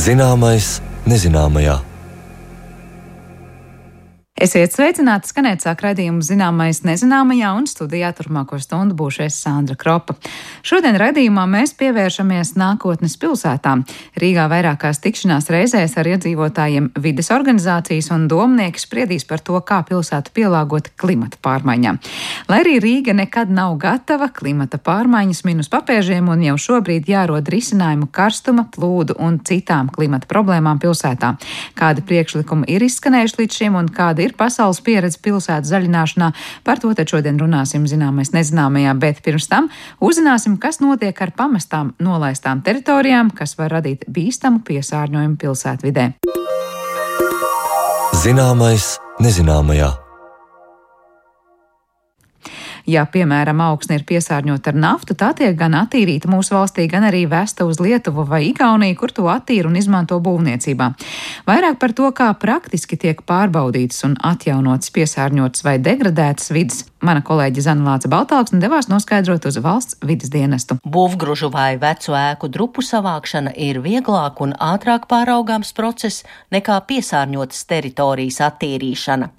Zināmais nezināmajā. Esiet sveicināti, skanēt sāk raidījumu Zināmais nezināmajā, un studijā turpmāko stundu būšu es Sandra Kropa. Šodien raidījumā mēs pievēršamies nākotnes pilsētām. Rīgā vairākās tikšanās reizēs ar iedzīvotājiem vides organizācijas un domnieki spriedīs par to, kā pilsētu pielāgot klimata pārmaiņām. Lai arī Rīga nekad nav gatava, klimata pārmaiņas min uz papēžiem un jau šobrīd jārod risinājumu karstuma, plūdu un citām klimata problēmām pilsētā. Kādi priekšlikumi ir izskanējuši līdz šim un kāda ir pasaules pieredze pilsētas zaļināšanā? Par to tad šodien runāsim Zināmais nezināmajā, bet pirms tam uzzināsim, kas notiek ar pamestām nolaistām teritorijām, kas var radīt bīstamu piesārņojumu pilsētvidē. Zināmais nezināmajā. Ja, piemēram, augsne ir piesārņota ar naftu, tā tiek gan attīrīta mūsu valstī, gan arī vesta uz Lietuvu vai Igauniju, kur to attīra un izmanto būvniecībā. Vairāk par to, kā praktiski tiek pārbaudītas un atjaunotas piesārņotas vai degradētas vidas, mana kolēģe Zana Lāce Baltāksne devās noskaidrot uz valsts vides dienestu. Būvgružu vai vecu ēku drupu savākšana ir vieglāk un ātrāk pāraugāms process nekā piesārņotas teritorijas attīrīšana.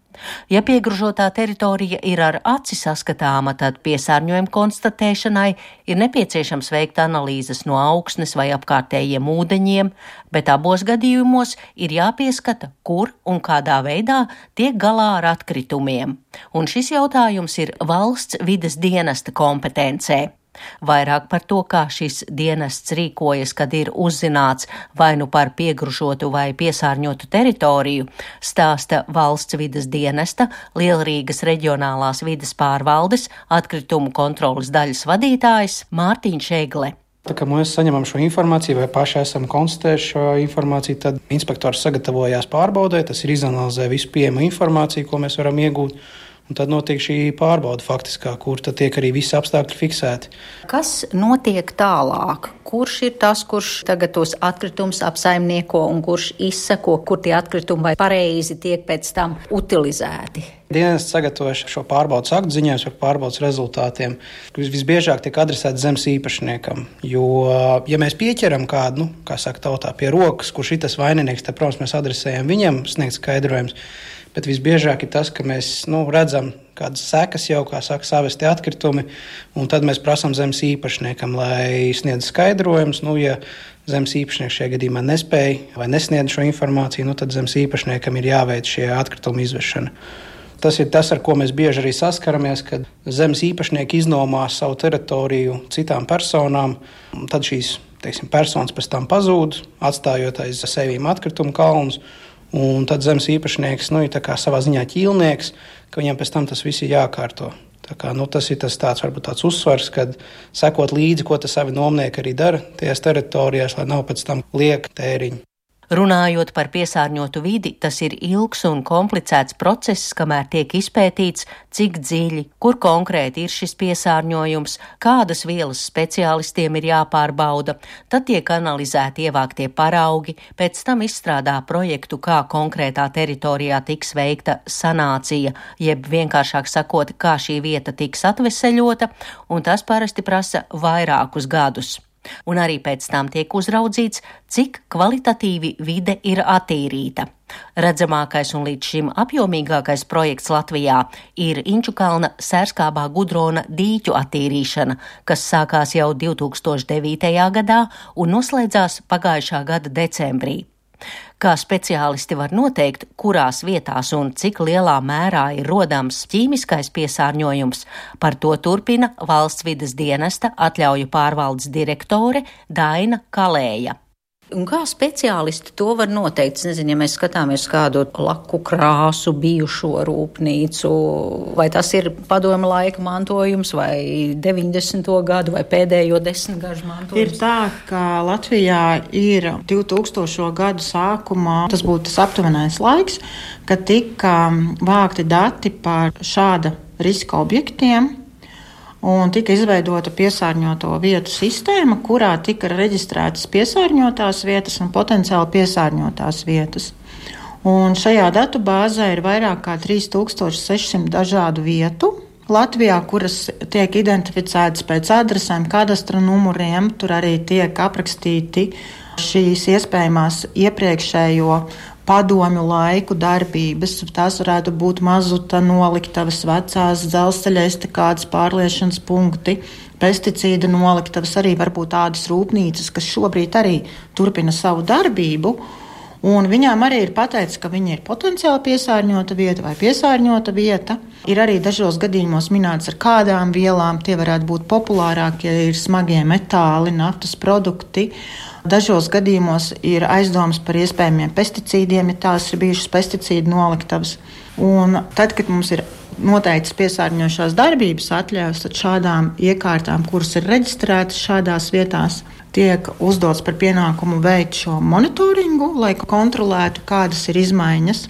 Ja piegružotā teritorija ir ar aci saskatāma, tad piesārņojuma konstatēšanai ir nepieciešams veikt analīzes no augsnes vai apkārtējiem ūdeņiem, bet abos gadījumos ir jāpieskata, kur un kādā veidā tiek galā ar atkritumiem. Un šis jautājums ir valsts vides dienesta kompetencē. Vairāk par to, kā šis dienests rīkojas, kad ir uzzināts vai nu par piegružotu vai piesārņotu teritoriju, stāsta valsts vides dienesta Lielrīgas reģionālās vides pārvaldes atkritumu kontroles daļas vadītājs Mārtiņš Egle. Tā kā mēs saņemam šo informāciju vai paši esam konstatējuši šo informāciju, tad inspektors sagatavojās pārbaudē, tas ir izanalizē visu pieejamo informāciju, ko mēs varam iegūt. Un tad notiek šī pārbauda faktiskā, kur tad tiek arī visi apstākļi fiksēti. Kas notiek tālāk? Kurš ir tas, kurš tagad tos atkritumus apsaimnieko un kurš izseko, kur tie atkritumi vai pareizi tiek pēc tam utilizēti? Dienests sagatavo šo pārbaudas aktu, ziņojums par pārbaudas rezultātiem, kas visbiežāk tiek adresēti zemes īpašniekam. Jo, ja mēs pieķeram kādu, kā saka tautā, pie rokas, kurš ir tas vaininieks, tad, protams, mēs adresējam viņam sniegt skaidrojums. Bet visbiežāk ir tas, ka mēs redzam kādas sekas jau, kā saka, savesti atkritumi, un tad mēs prasām zemes īpašniekam, lai sniedz skaidrojumus. Ja zemes īpašnieks šajā gadījumā nespēja vai nesniedz šo informāciju, tad zemes īpašniekam ir jāveic šie atkritumi izvešana. Tas ir tas, ar ko mēs bieži arī saskaramies, kad zemes īpašnieki iznomā savu teritoriju citām personām, un tad šīs, personas pēc tam pazūd, atstājot aiz sevīm atkritumu kalnus. Un tad zemes īpašnieks ir tā kā savā ziņā ķīlnieks, ka viņam pēc tam tas viss ir jākārto. Tas ir varbūt tāds uzsvars, kad sekot līdzi, ko tas savi nomnieki arī dara tajās teritorijās, lai nav pēc tam lieka tēriņi. Runājot par piesārņotu vidi, tas ir ilgs un komplicēts process, kamēr tiek izpētīts, cik dziļi, kur konkrēti ir šis piesārņojums, kādas vielas speciālistiem ir jāpārbauda, tad tiek analizēti ievāktie paraugi, pēc tam izstrādā projektu, kā konkrētā teritorijā tiks veikta sanācija, jeb vienkāršāk sakot, kā šī vieta tiks atveseļota, un tas parasti prasa vairākus gadus. Un arī pēc tam tiek uzraudzīts, cik kvalitatīvi vide ir attīrīta. Redzamākais un līdz šim apjomīgākais projekts Latvijā ir Inčukalna Sērskābā Gudrona dīķu attīrīšana, kas sākās jau 2009. gadā un noslēdzās pagājušā gada decembrī. Kā speciālisti var noteikt, kurās vietās un cik lielā mērā ir rodams ķīmiskais piesārņojums, par to turpina valsts vides dienesta atļauju pārvaldes direktore Daina Kalēja. Un kā speciālisti to var noteikt? Es nezinu, ja mēs skatāmies kādu laku krāsu bijušo rūpnīcu, vai tas ir padomu laika mantojums, vai 90. gadu, vai pēdējo 10 gadu mantojums? Ir tā, ka Latvijā ir 2000. gadu sākumā, tas būtu tas aptuvenais laiks, kad tika vākti dati par šāda riska objektiem. Un tika izveidota piesārņoto vietu sistēma, kurā tika reģistrētas piesārņotās vietas un potenciāli piesārņotās vietas. Un šajā datu bāzē ir vairāk kā 3600 dažādu vietu Latvijā, kuras tiek identificētas pēc adresēm, kadastra numuriem. Tur arī tiek aprakstīti šīs iespējamās iepriekšējo padomju laiku darbības. Tās varētu būt mazuta noliktavas, vecās dzelzceļa estakādes pārliešanas punkti, pesticīdu noliktavas, arī varbūt tādas rūpnīcas, kas šobrīd arī turpina savu darbību. Un viņām arī ir pateikts, ka viņi ir potenciāli piesārņota vieta vai piesārņota vieta. Ir arī dažos gadījumos minēts, ar kādām vielām tie varētu būt populārākie, ir smagie metāli, naftas produkti. Dažos gadījumos ir aizdomas par iespējamiem pesticīdiem, ja tās ir bijušas pesticīdu noliktavas. Un tad, kad mums ir noteikts piesārņojošās darbības atļaujas, tad šādām iekārtām, kuras ir reģistrētas šādās vietās, tiek uzdots par pienākumu veikt šo monitoringu, lai kontrolētu, kādas ir izmaiņas.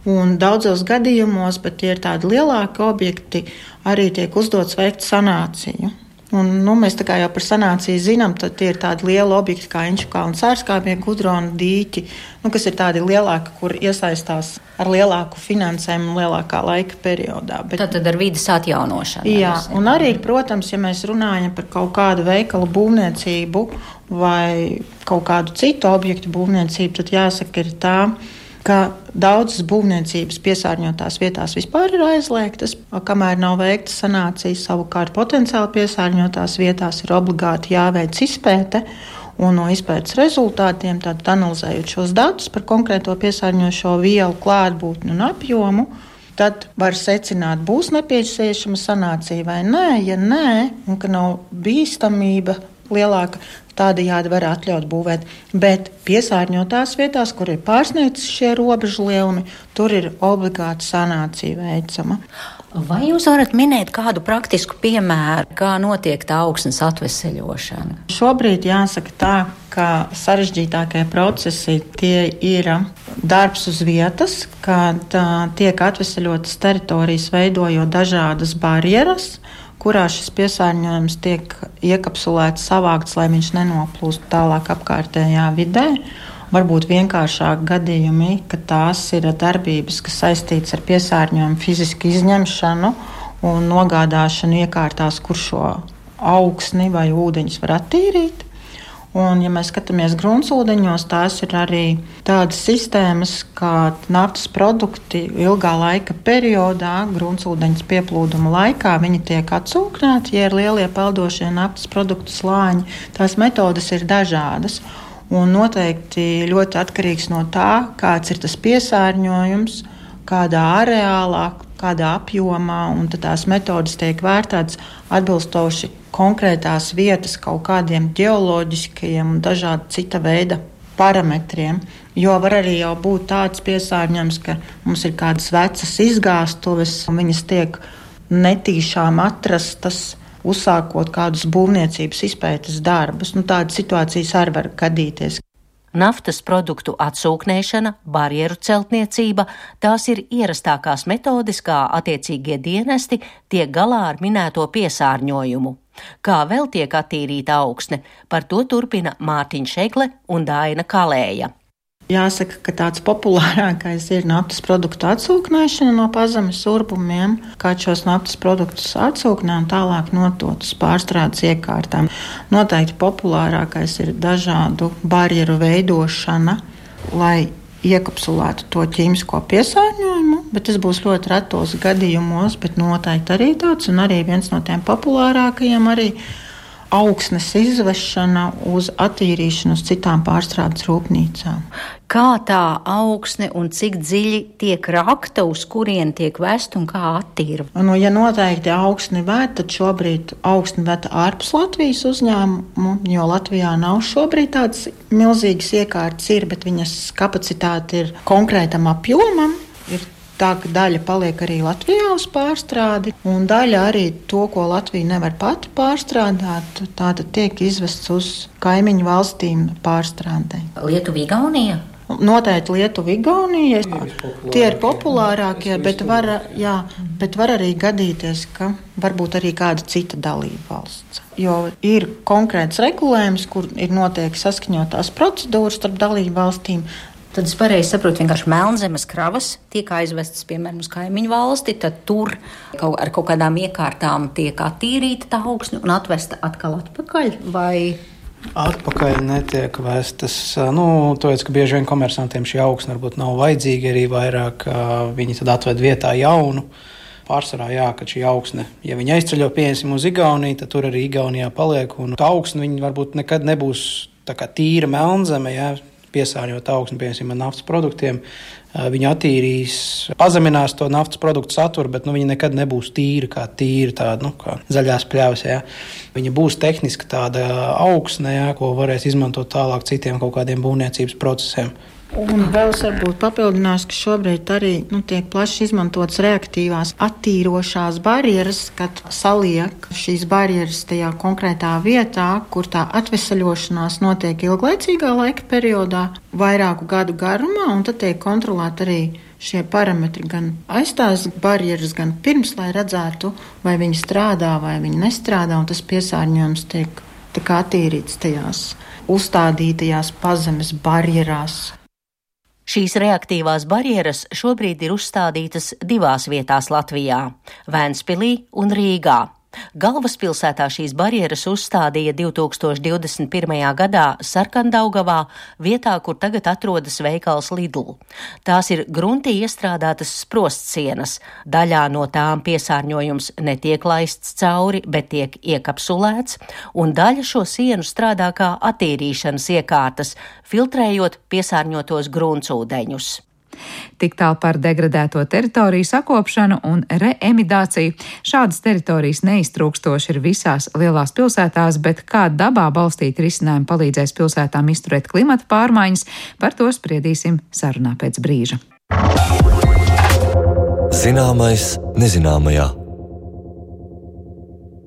Un daudzos gadījumos, bet tie ir tādi lielāki objekti, arī tiek uzdots veikt sanāciju. Un, mēs tā kā jau par sanāciju zinām, tad tie ir tādi lieli objekti kā Inčukalna sārskāpie, Gudrona dīķi, kas ir tādi lielāki, kur iesaistās ar lielāku finansējumu lielākā laika periodā. Tad ar vides atjaunošanu. Jā, un arī, protams, ja mēs runājam par kaut kādu veikalu būvniecību vai kaut kādu citu objektu būvniecību, tad jāsaka ir tā, ka daudzas būvniecības piesārņotās vietās vispār ir aizliegtas, kamēr nav veikta sanācija. Savukārt potenciāli piesārņotās vietās ir obligāti jāveic izpēte, un no izpētes rezultātiem, tad analizējot šos datus par konkrēto piesārņojošo vielu klātbūtni un apjomu, tad var secināt, būs nepieciešama sanācija vai nē. Ja nē, un ka nav bīstamība lielāka, tādējādi var atļaut būvēt. Bet piesārņotās vietās, kur ir pārsniegts šie robežu lielumi, tur ir obligāti sanācija veicama. Vai jūs varat minēt kādu praktisku piemēru, kā notiek tā augsnes atveseļošana? Šobrīd jāsaka tā, ka sarežģītākie procesi tie ir darbs uz vietas, kad tiek atveseļotas teritorijas, veidojot dažādas barjeras, kurā šis piesārņojums tiek iekapsulēts, savākts, lai viņš nenoplūst tālāk apkārtējā vidē. Varbūt vienkāršāk gadījumi, ka tās ir darbības, kas saistītas ar piesārņojumu fizisku izņemšanu un nogādāšanu iekārtās, kur šo augsni vai ūdeņus var attīrīt. Un, ja mēs skatāmies gruntsūdeņos, tās ir arī tādas sistēmas, kā naftas produkti ilgā laika periodā, gruntsūdeņas pieplūduma laikā, viņi tiek atsūknēti, ja ir lielie peldošie naftas produktu slāņi. Tās metodas ir dažādas un noteikti ļoti atkarīgs no tā, kāds ir tas piesārņojums, kādā areālā, kādā apjomā, un tad tās metodas tiek vērtētas atbilstoši konkrētās vietas kaut kādiem ģeoloģiskajiem un dažādi cita veida parametriem. Jo var arī jau būt tāds piesārņojums, ka mums ir kādas vecas izgāstuves, un viņas tiek netīšām atrastas, uzsākot kādus būvniecības izpētes darbus. Tādas situācijas arī var gadīties. Naftas produktu atsūknēšana, barjeru celtniecība – tās ir ierastākās metodes, kā attiecīgie dienesti tiek galā ar minēto piesārņojumu. Kā vēl tiek attīrīta augsne, par to turpina Mārtiņš Egle un Daina Kalēja. Jāsaka, ka tāds populārākais ir naftas produktu atsūknēšana no pazemes urbumiem, kā šos naftas produktus atsūknē un tālāk notot uz pārstrādes iekārtām. Noteikti populārākais ir dažādu barjeru veidošana, lai iekapsulētu to ķīmisko piesārņojumu, bet tas būs ļoti retos gadījumos, bet noteikti arī tāds, un arī viens no tiem populārākajiem arī augsnes izvešana uz attīrīšanu uz citām pārstrādes rūpnīcām. Kā tā augsne un cik dziļi tiek rakta, uz kurien tiek vest un kā attīra? Ja noteikti augsni vēt, tad šobrīd augsni vēt ārpus Latvijas uzņēmumu, jo Latvijā nav šobrīd tādas milzīgas iekārtas ir, bet viņas kapacitāte ir konkrētam apjomam. Ir tā, ka daļa paliek arī Latvijā uz pārstrādi, un daļa arī to, ko Latvija nevar pati pārstrādāt, tātad tiek izvests uz kaimiņu valstīm pārstrādē. Lietuva, Igaunija? Noteikti Lietuva, Igaunija, tie ir populārākie, bet var arī gadīties, ka varbūt arī kāda cita dalība valsts. Jo ir konkrēts regulējums, kur ir noteikti saskaņotās procedūras starp dalību valstīm. Tad es pareizi saprotu, vienkārši Melnzemes kravas tiek aizvestas, piemēram, uz kaimiņu valsti, tad tur ar kaut kādām iekārtām tiek attīrīta tā augsne un atvesta atkal atpakaļ, vai... Atpakaļ netiek vestas. Tāpēc, ka bieži vien komersantiem šī augsne varbūt nav vajadzīga, arī vairāk viņi tad atved vietā jaunu. Pārsvarā, ka šī augsne, ja viņi aizceļo pieņemsim uz Igauniju, tad tur arī Igaunijā paliek, un tā augsne viņi varbūt nekad nebūs tā kā tīra Melnzeme, piesārņot augsni, piemēram, ar naftas produktiem. Viņi attīrīs, pazeminās to naftas produktu saturu, bet viņi nekad nebūs tīra tāda, kā zaļās pļavas. Viņa būs tehniski tāda augsne, ko varēs izmantot tālāk citiem kaut kādiem būvniecības procesiem. Un vēl es varbūt papildināšu, ka šobrīd arī tiek plaši izmantotas reaktīvās attīrošās barjeras, kad saliek šīs barjeras tajā konkrētā vietā, kur tā atvesaļošanās notiek ilglaicīgā laika periodā, vairāku gadu garumā, un tad tiek kontrolēti arī šie parametri, gan aizstās barjeras, gan pirms, lai redzētu, vai viņi strādā, vai viņi nestrādā, un tas piesārņojums tiek attīrīts tajās uzstādītajās pazemes barjerās. Šīs reaktīvās barjeras šobrīd ir uzstādītas 2 vietās Latvijā – Vēnspilī un Rīgā. Galvaspilsētā šīs barjeras uzstādīja 2021. gadā Sarkandaugavā, vietā, kur tagad atrodas veikals Lidl. Tās ir gruntī iestrādātas sprostsienas. Daļā no tām piesārņojums netiek laists cauri, bet tiek iekapsulēts, un daļa šo sienu strādā kā attīrīšanas iekārtas, filtrējot piesārņotos gruntsūdeņus. Tik tālu par degradēto teritoriju sakopšanu un reemidāciju. Šādas teritorijas neiztrūkstoši ir visās lielās pilsētās, bet kā dabā balstīti risinājumi palīdzēs pilsētām izturēt klimata pārmaiņas, par to spriedīsim sarunā pēc brīža. Zināmais nezināmajā.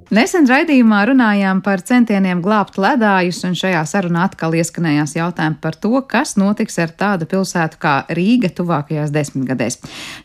Nesen raidījumā runājām par centieniem glābt ledājus, un šajā sarunā atkal ieskanējās jautājumi par to, kas notiks ar tādu pilsētu kā Rīga tuvākajās 10 gadēs.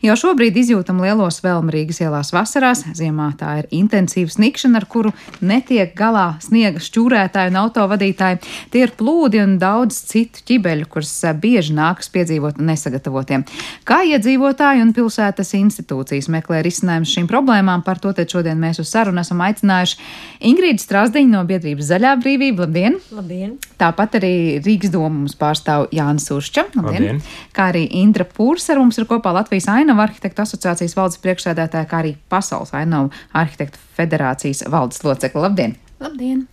Jau šobrīd izjūtam lielo svelmu Rīgas ielās vasarās, ziemā tā ir intensīva snikšana, ar kuru netiek galā sniega šķūrētāji un autovadītāji. Tie ir plūdi un daudz citu ķibeļu, kuras bieži nākas piedzīvot nesagatavotiem. Kā iedzīvotāji un pilsētas institūcijas meklē risinājumus šīm problēmām, par to tad šodien mēs uz sarunu esam aicinājuši Ingrīdu Strasdiņu no biedrības Zaļā brīvība. Labdien! Labdien! Tāpat arī Rīgas domu mums pārstāv Jānis Uršča. Labdien! Kā arī Indra Pūrs ar mums ir kopā Latvijas ainavu arhitektu asociācijas valdes priekšsēdētāja, kā arī Pasaules ainavu arhitektu federācijas valdes locekle. Labdien! Labdien!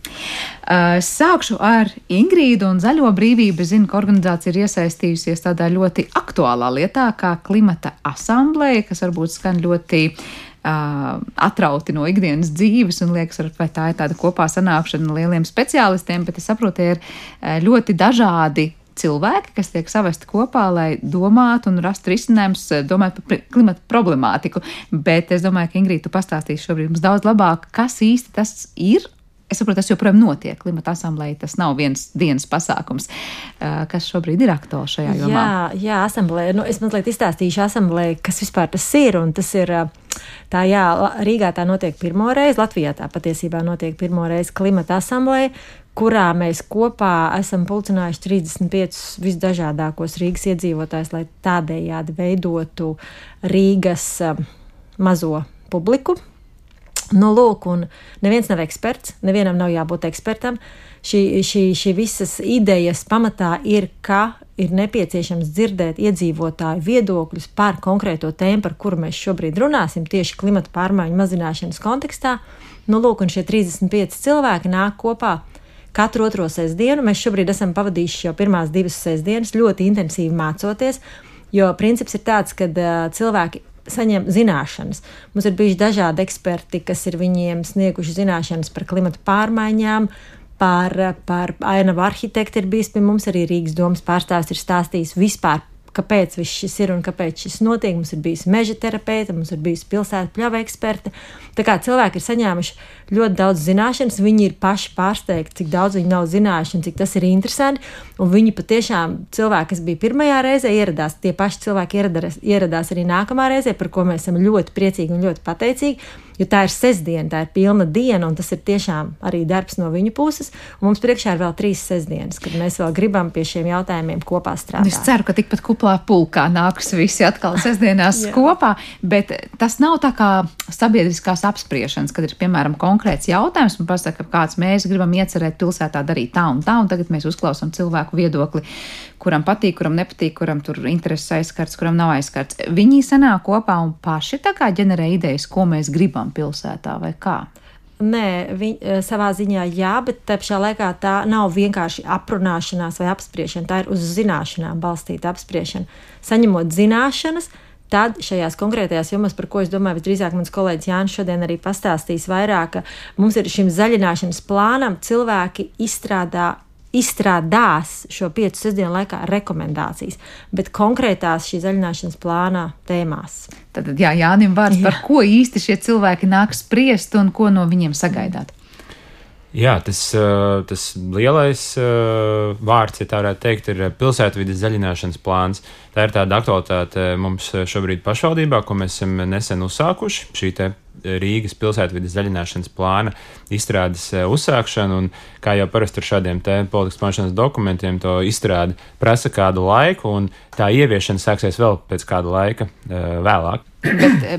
Sākšu ar Ingrīdu un Zaļo brīvību. Zinu, ka organizācija ir iesaistījusies tādā ļoti aktuālā lietā kā klimata asambleja, kas varbūt skan ļoti atrauti no ikdienas dzīves un liekas, vai tā ir tāda kopā sanākšana lieliem speciālistiem, bet es saprotu, ir ļoti dažādi cilvēki, kas tiek savesti kopā, lai domātu un rastu risinājumus, domājot par klimata problemātiku. Bet es domāju, ka Ingrīda, tu pastāstīsi šobrīd mums daudz labāk, kas īsti tas ir. Es saprotu, tas joprojām notiek. Klimata asamblēja, tas nav viens dienas pasākums, kas šobrīd ir aktuāls šajā jomā. Jā, asamblēja. Es mazliet izstāstīšu asamblēju, kas vispār tas ir, un tas ir Rīgā tā notiek pirmo reizi, Latvijā tā patiesībā notiek pirmo reizi klimata asamblēja, kurā mēs kopā esam pulcinājuši 35 visdažādākos Rīgas iedzīvotājus, lai tādējādi veidotu Rīgas mazo publiku. Lūk, un neviens nav eksperts, nevienam nav jābūt ekspertam. Šī visas idejas pamatā ir, ka ir nepieciešams dzirdēt iedzīvotāju viedokļus par konkrēto tēmu, par kuru mēs šobrīd runāsim, tieši klimata pārmaiņu mazināšanas kontekstā. Lūk, un šie 35 cilvēki nāk kopā katru otro sestdienu. Mēs šobrīd esam pavadījuši jau pirmās 2 sestdienas ļoti intensīvi mācoties, jo princips ir tāds, ka cilvēki saņem zināšanas. Mums ir bijuši dažādi eksperti, kas ir viņiem snieguši zināšanas par klimata pārmaiņām, par ainavu arhitektu ir bijis pie mums, arī Rīgas domas pārstāvis ir stāstījis vispār, kāpēc viss šis ir un kāpēc šis notiek. Mums ir bijusi meža terapeite, mums ir bijusi pilsētu pļava eksperte. Tā kā cilvēki ir saņēmuši ļoti daudz zināšanas, viņi ir paši pārsteigti, cik daudz viņi nav zinājuši un cik tas ir interesanti. Un viņi patiešām cilvēki, kas bija pirmajā reizē, ieradās, tie paši cilvēki ieradās arī nākamā reizē, par ko mēs esam ļoti priecīgi un ļoti pateicīgi. Jo tā ir sestdiena, tā ir pilna diena, un tas ir tiešām arī darbs no viņu puses. Un mums priekšā ir vēl 3 sestdienas, kad mēs vēl gribam pie šiem jautājumiem kopā strādāt. Es ceru, ka tikpat kuplā pulkā nāks visi atkal sestdienās kopā, bet tas nav tā kā sabiedriskās apspriešanas, kad ir, piemēram, konkrēts jautājums un pasaka, kāds mēs gribam iecerēt pilsētā darīt tā, un tagad mēs uzklausām cilvēku viedokli, kuram patīk, kuram nepatīk, kuram tur intereses aizskarts, kuram nav aizskarts. Viņi sanāk kopā un paši tā kā ģenerē idejas, ko mēs gribam pilsētā vai kā? Nē, savā ziņā jā, bet tā pašā laikā tā nav vienkārši aprunāšanās vai apspriešana, tā ir uz zināšanām balstīta apspriešana. Saņemot zināšanas, tad šajās konkrētajās jomās, par ko es domāju, visdrīzāk mans kolēģis Jānis šodien arī pastāstīs vairāk, ka mums ir šim zaļināšanas plānam cilvēki izstrādās šo 5 sestdienu laikā rekomendācijas, bet konkrētās šī zaļināšanas plānā tēmās. Tad, jā, Jānim vārds, par ko īsti šie cilvēki nāk spriest un ko no viņiem sagaidāt? Jā, tas lielais vārds, ja tā varētu teikt, ir pilsētvides zaļināšanas plāns. Tā ir tāda aktualitāte mums šobrīd pašvaldībā, ko mēs esam nesen uzsākuši. Šī te Rīgas pilsētvides zaļināšanas plāna izstrādes uzsākšanu, un kā jau parasti ar šādiem te politikas plānošanas dokumentiem, to izstrādi prasa kādu laiku, un tā ieviešana sāksies vēl pēc kāda laika vēlāk.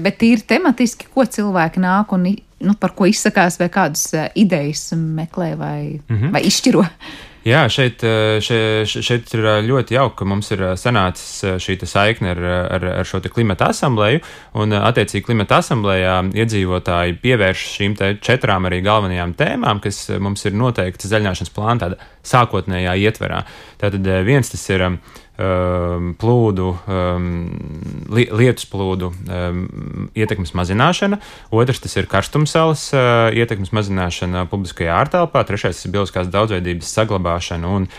Bet tīri tematiski, ko cilvēki nāk un par ko izsakās, vai kādas idejas meklē vai izšķiro? Jā, šeit ir ļoti jauki, ka mums ir sanācis šī saikne ar šo te klimata asambleju, un attiecīgi klimata asamblejā iedzīvotāji pievērš šīm 4 arī galvenajām tēmām, kas mums ir noteikti zaļināšanas plāna tāda sākotnējā ietverā. Tātad viens tas ir plūdu, lietus plūdu ietekmes mazināšana, otrs tas ir karstumsalas ietekmes mazināšana publiskajā ārtelpā, trešais ir bioloģiskās daudzveidības saglabāšana un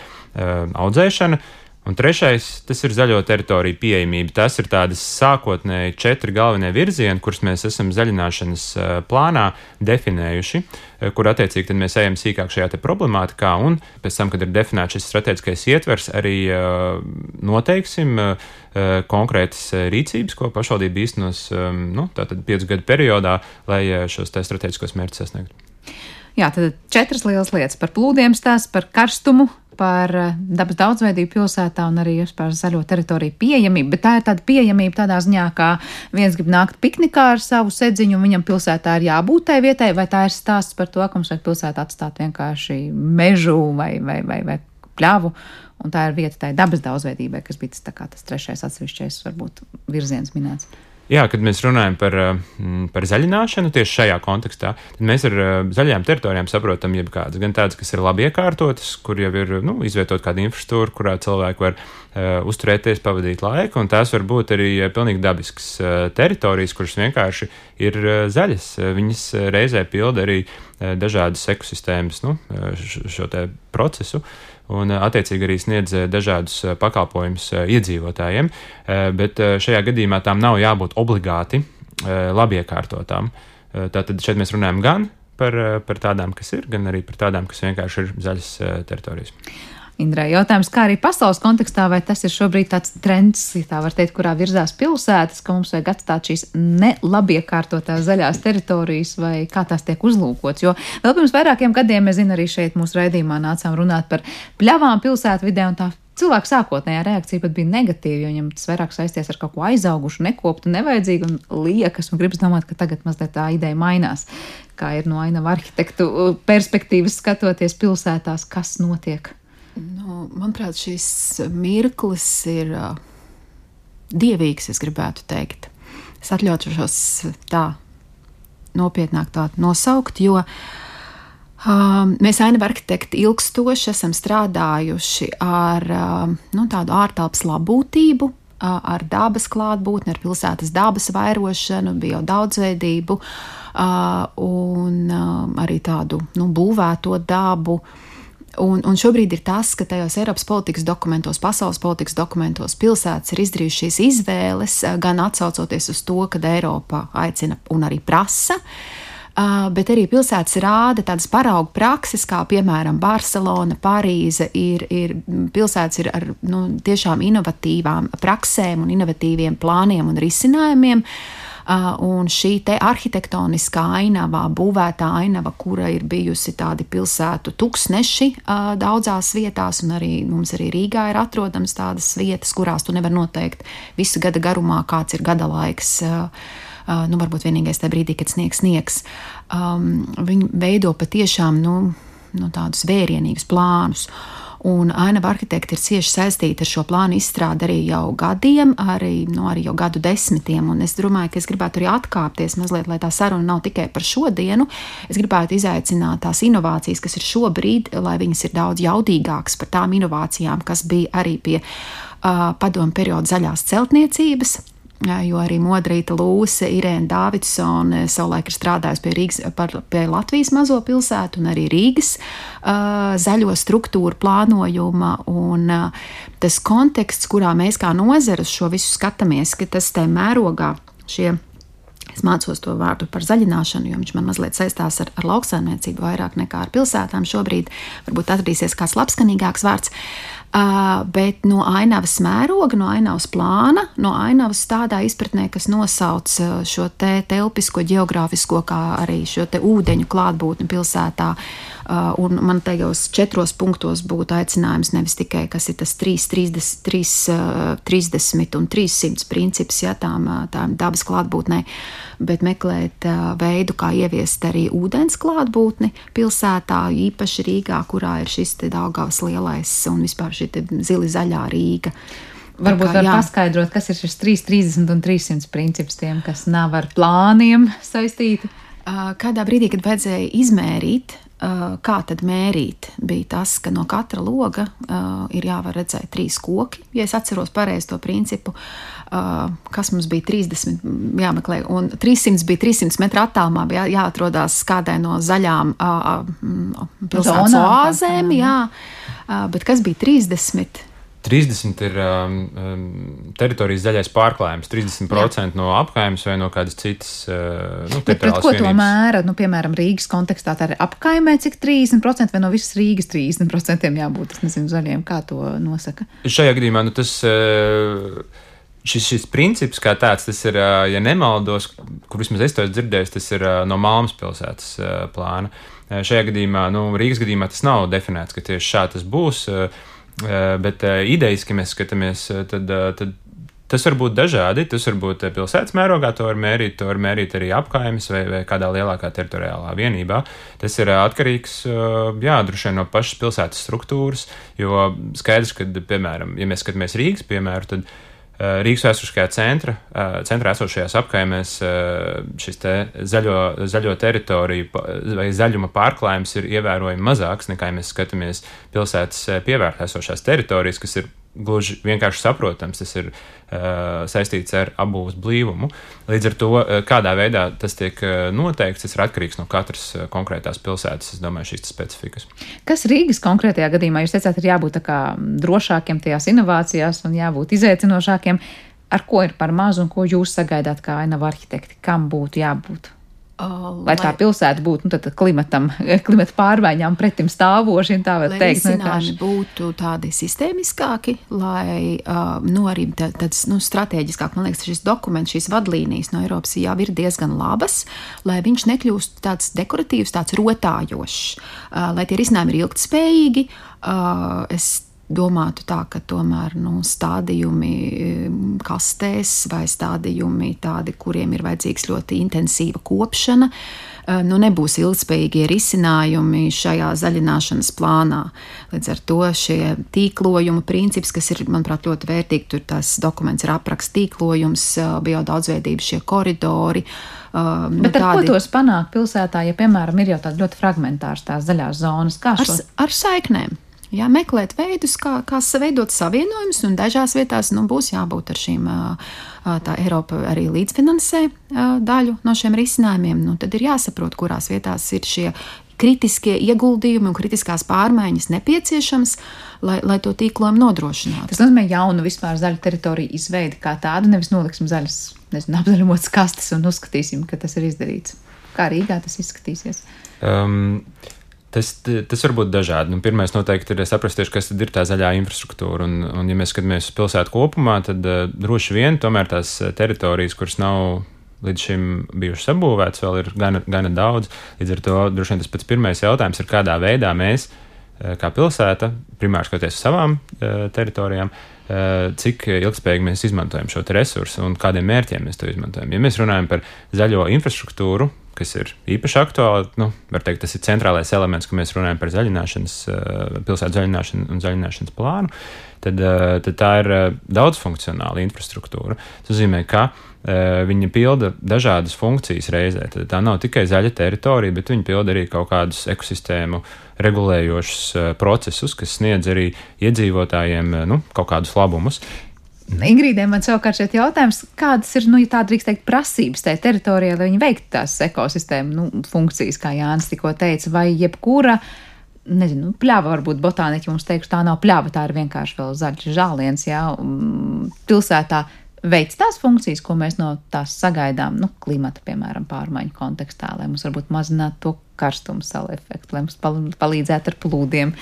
audzēšana, un trešais tas ir zaļo teritoriju pieejamība. Tas ir tādas sākotnēji 4 galvenie virzieni, kurus mēs esam zaļināšanas plānā definējuši, kur attiecīgi tad mēs ejam sīkāk šajā te problemātikā, un pēc tam, kad ir definēts šis strateģiskais ietvers, arī noteiksim konkrētas rīcības, ko pašvaldība īstenos tātad 5 gadu periodā, lai šos te strateģiskos mērķus sasniegtu. Jā, tad 4 lielas lietas par plūdiem stāsts, par karstumu, par dabas daudzveidību pilsētā un arī par zaļo teritoriju pieejamību, bet tā ir tāda pieejamība tādā ziņā, kā viens grib nākt piknikā ar savu sedziņu un viņam pilsētā ir jābūt tai vietai, vai tā ir stāsts par to, ka mums vajag pilsētā atstāt vienkārši mežu vai pļavu, un tā ir vieta tai dabas daudzveidībai, kas bija tas 3. atsevišķais varbūt virziens minēts. Jā, kad mēs runājam par zaļināšanu tieši šajā kontekstā, tad mēs ar zaļajām teritorijām saprotam jebkādas, gan tādas, kas ir labi iekārtotas, kur jau ir izvietot kāda infrastruktūra, kurā cilvēki var uzturēties, pavadīt laiku, un tās var būt arī pilnīgi dabiskas teritorijas, kuras vienkārši ir zaļas. Viņas reizē pilda arī dažādas ekosistēmas, šo te procesu, un attiecīgi arī sniedz dažādus pakalpojumus iedzīvotājiem, bet šajā gadījumā tām nav jābūt obligāti labi iekārtotām. Tātad šeit mēs runājam gan par tādām, kas ir, gan arī par tādām, kas vienkārši ir zaļas teritorijas. Indrai, jautājums, kā arī pasaules kontekstā, vai tas ir šobrīd tāds trends, tā var teikt, kurā virzās pilsētas, ka mums vajag atstāt šīs nelabiekārtotās zaļās teritorijas, vai kā tās tiek uzlūkots, jo vēl pirms vairākiem gadiem, es zinu, arī šeit mūsu raidījumā nācām runāt par pļavām pilsētvidē, un tā cilvēku sākotnējā reakcija pat bija negatīva, jo viņam tas vairāk saisties ar kaut ko aizaugušu, nekoptu, nevajadzīgu un liekas, un gribas domāt, ka tagad mazliet tā ideja mainās. Kā ir no ainava arhitektu perspektīvas skatoties pilsētās, kas notiek? Manuprāt, šis mirklis ir dievīgs, es gribētu teikt. Es atļaušos tā nopietnāk tā nosaukt, jo mēs ainava arhitekti ilgstoši esam strādājuši ar tādu ārtelpas labbūtību, ar dabas klātbūtni, ar pilsētas dabas vairošanu, biodaudzveidību un arī tādu būvēto dabu. Un šobrīd ir tas, ka tajos Eiropas politikas dokumentos, pasaules politikas dokumentos pilsētas ir izdarījušas šīs izvēles, gan atsaucoties uz to, kad Eiropa aicina un arī prasa, bet arī pilsētas rāda tādas paraugu prakses, kā piemēram Barcelona, Parīze, pilsētas ir ar tiešām inovatīvām praksēm un inovatīviem plāniem un risinājumiem. Un šī te arhitektoniskā ainava, būvētā ainava, kura ir bijusi tādi pilsētu tuksneši daudzās vietās, un arī mums arī Rīgā ir atrodams tādas vietas, kurās tu nevar noteikt visu gada garumā, kāds ir gada laiks. Varbūt vienīgais tajā brīdī, kad sniegs. Viņi veido patiešām tādus vērienīgus plānus. Un ainava arhitekti ir cieši saistīti ar šo plānu izstrādi arī jau gadiem, arī jau gadu desmitiem. Un es domāju, ka es gribētu arī atkāpties mazliet, lai tā saruna nav tikai par šodienu. Es gribētu izaicināt tās inovācijas, kas ir šobrīd, lai viņas ir daudz jaudīgākas par tām inovācijām, kas bija arī pie padomu perioda zaļās celtniecības. Jo arī Modrīta Lūse, Irēna Dāvidsone savulaik ir strādājusi pie Latvijas mazo pilsētu un arī Rīgas zaļo struktūru plānojuma. Un tas konteksts, kurā mēs kā nozara šo visu skatāmies, ka tas te mērogā es mācos to vārdu par zaļināšanu, jo viņš man mazliet saistās ar lauksaimniecību vairāk nekā ar pilsētām šobrīd. Varbūt atradīsies kāds labskanīgāks vārds. Bet no ainavas mēroga, no ainavas plāna, no ainavas tādā izpratnē, kas nosauc šo te telpisko, geogrāfisko, kā arī šo te ūdeņu klātbūtni pilsētā. Un man tajos 4 punktos būtu aicinājums nevis tikai, kas ir tas 30 un 300 princips, tām dabas klātbūtnē, bet meklēt veidu, kā ieviest arī ūdens klātbūtni pilsētā, īpaši Rīgā, kurā ir šis te Daugavas lielais un vispār šī te zili zaļā Rīga. Varbūt var paskaidrot, kas ir šis 330 un 300 princips tiem, kas nav ar plāniem saistīti? Kādā brīdī, kad vajadzēja izmērīt, kā tad mērīt, bija tas, ka no katra loga ir jāvar redzēt 3 koki. Ja es atceros pareizi to principu, kas mums bija 30 jāmeklē, un 300 bija 300 metru attālumā, bija jāatrodās kādai no zaļām pilsētas oāzēm, bet kas bija 30? 30 ir teritorijas zaļais pārklājums, 30% no apkaimes vai no kādas citas teritoriālas vienības. Ko to mēra? Piemēram, Rīgas kontekstā tā ir apkaimē, cik 30% vai no visas Rīgas 30% jābūt, es nezinu, zaļiem, kā to nosaka? Šajā gadījumā, šis princips kā tāds, tas ir, ja nemaldos, kur vismaz es to esmu dzirdējis, tas ir no Malmas pilsētas plāna. Šajā gadījumā, Rīgas gadījumā tas nav definēts, ka tieši šā tas būs, bet idejiski mēs skatāmies, tad tas var būt dažādi. Tas var būt pilsētas mērogā, to var mērīt arī apkaimes vai kādā lielākā teritoriālā vienībā. Tas ir atkarīgs, droši vien no pašas pilsētas struktūras, jo skaidrs, ka, piemēram, ja mēs skatāmies Rīgas piemēru, tad Rīgas vēsturiskajā centrā esošajās apkaimēs šis te zaļo teritoriju vai zaļuma pārklājums ir ievērojami mazāks nekā, ja mēs skatāmies pilsētas pievērtā esošās teritorijas, kas ir gluži vienkārši saprotams, tas ir saistīts ar apbūves blīvumu. Līdz ar to, kādā veidā tas tiek noteikts, tas ir atkarīgs no katras konkrētās pilsētas, es domāju, šīs specifikas. Kas Rīgas konkrētajā gadījumā, jūs teicāt, ir jābūt tā kā drošākiem tajās inovācijās un jābūt izaicinošākiem. Ar ko ir par mazu un ko jūs sagaidāt kā ainava arhitekti? Kam būtu jābūt? Lai tā pilsēta būtu klimata pārmaiņām pretim stāvoši, tā var teikt. Lai risinājumi būtu tādi sistēmiskāki, lai arī tāds strateģiskāk, man liekas, šis dokuments, šīs vadlīnijas no Eiropas jau ir diezgan labas, lai viņš nekļūst tāds dekoratīvs, tāds rotājošs, lai tie risinājumi ir ilgtspējīgi. Es domātu tā, ka tomēr stādījumi kastēs vai stādījumi tādi, kuriem ir vajadzīgs ļoti intensīva kopšana, nebūs ilgspējīgie risinājumi šajā zaļināšanas plānā. Līdz ar to šie tīklojuma princips, kas ir, manuprāt, ļoti vērtīgi, tur tas dokuments ir apraksts tīklojums, biodaudzveidība, šie koridori. Bet ar ko tos panāk pilsētā, ja, piemēram, ir jau tāda ļoti fragmentārs tās zaļās zonas? Ar saiknēm. Jā, meklēt veidus, kā veidot savienojumus, un dažās vietās būs jābūt ar šīm, tā Eiropa arī līdzfinansē daļu no šiem risinājumiem. Tad ir jāsaprot, kurās vietās ir šie kritiskie ieguldījumi un kritiskās pārmaiņas nepieciešams, lai to tīklojumu nodrošinātu. Tas nozīmē jaunu vispār zaļu teritoriju izveidi kā tādu, nevis noliksim zaļas, apzaļumotas kastes un uzskatīsim, ka tas ir izdarīts. Kā Rīgā tas izskatīsies? Tas var būt dažādi. Pirmais noteikti ir saprast, kas tad ir tā zaļā infrastruktūra. Un ja mēs skatāmies uz pilsētu kopumā, tad droši vien tomēr tās teritorijas, kuras nav līdz šim bijušas sabūvētas, vēl ir gana daudz. Līdz ar to droši vien tas pats pirmais jautājums ir, kādā veidā mēs, kā pilsēta, primāri skatoties uz savām teritorijām, cik ilgspējīgi mēs izmantojam šo resursu un kādiem mērķiem mēs to izmantojam. Ja mēs runājam par zaļo infrastruktūru, kas ir īpaši aktuāli, var teikt, tas ir centrālais elements, ka mēs runājam par pilsētu zaļināšanu un zaļināšanas plānu, tad tā ir daudzfunkcionāla infrastruktūra. Tas nozīmē, ka viņa pilda dažādas funkcijas reizē. Tad tā nav tikai zaļa teritorija, bet viņa pilda arī kaut kādus ekosistēmu regulējošus procesus, kas sniedz arī iedzīvotājiem kaut kādus labumus. Ingrīdē man savukārt šeit jautājums, kādas ir, ja tā drīkst teikt, prasības tajā teritorijā, lai viņi veiktu tās ekosistēmu funkcijas, kā Jānis tikko teica, vai jebkura, pļava varbūt botāniķi mums teikšu, tā nav pļava, tā ir vienkārši vēl zaļš žāliens, pilsētā veic tās funkcijas, ko mēs no tās sagaidām, klimata, piemēram, pārmaiņu kontekstā, lai mums varbūt mazinātu to karstumu salu efektu, lai mums palīdzētu ar plūdiem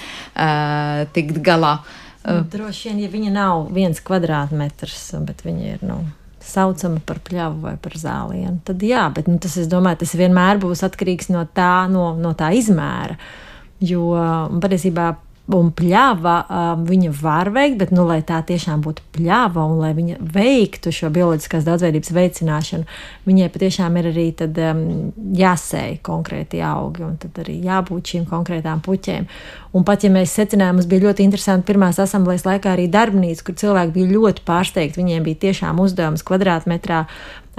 tikt galā. Droši vien, ja viņa nav 1 kvadrātmetrs, bet viņa ir, saucama par pļavu vai par zālienu, tad jā, bet tas, es domāju, tas vienmēr būs atkarīgs no tā izmēra, jo patiesībā pļava viņa var veikt, bet, lai tā tiešām būtu pļava un lai viņa veiktu šo bioloģiskās daudzveidības veicināšanu, viņai patiešām ir arī tad jāsēj konkrēti augi un tad arī jābūt šīm konkrētām puķēm. Un pat, ja mēs secinājām, mums bija ļoti interesanti pirmās asamblejas laikā arī darbnīca, kur cilvēki bija ļoti pārsteigti, viņiem bija tiešām uzdevums kvadrātmetrā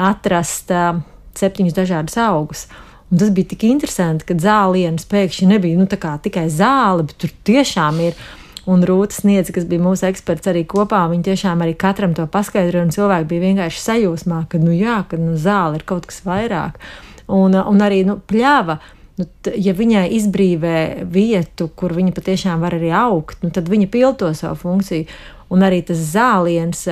atrast 7 dažādus augus. Un tas bija tik interesanti, ka zālienas pēkšņi nebija tikai zāle, bet tur tiešām ir. Un Rūta Sniedze, kas bija mūsu eksperts arī kopā, viņi tiešām arī katram to paskaidroja, un cilvēki bija vienkārši sajūsmā, ka zāle ir kaut kas vairāk. Un arī pļava, ja viņai izbrīvē vietu, kur viņa patiešām var arī augt, tad viņa pildo savu funkciju. Un arī tas zāliens,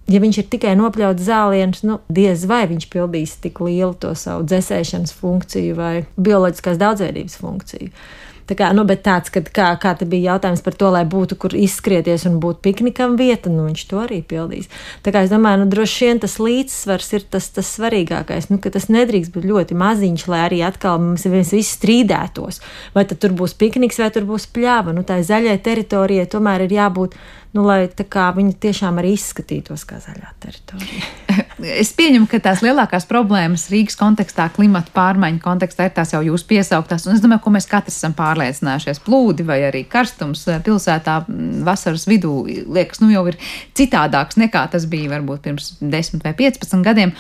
ja viņš ir tikai nopļauts zāliens, diez vai viņš pildīs tik lielu to savu dzēsēšanas funkciju vai bioloģiskās daudzveidības funkciju. Tā kā, bet tāds, kā te bija jautājums par to, lai būtu, kur izskrieties un būtu piknikam vieta, viņš to arī pildīs. Tā kā es domāju, droši vien tas līdzsvars ir tas svarīgākais, ka tas nedrīkst būt ļoti maziņš, lai arī atkal mēs visi strīdētos. Vai tad tur būs pikniks, vai tur būs pļava. Tā zaļai teritorijai tomēr ir jābūt, lai tā kā viņi tiešām arī izskatītos kā zaļā teritorija. Es pieņemu, ka tās lielākās problēmas Rīgas kontekstā, klimata pārmaiņu kontekstā ir tās jau jūs piesauktās. Un es domāju, ko mēs katrs esam pārliecinājušies. Plūdi vai arī karstums pilsētā vasaras vidū liekas, jau ir citādāks nekā tas bija varbūt pirms 10 vai 15 gadiem.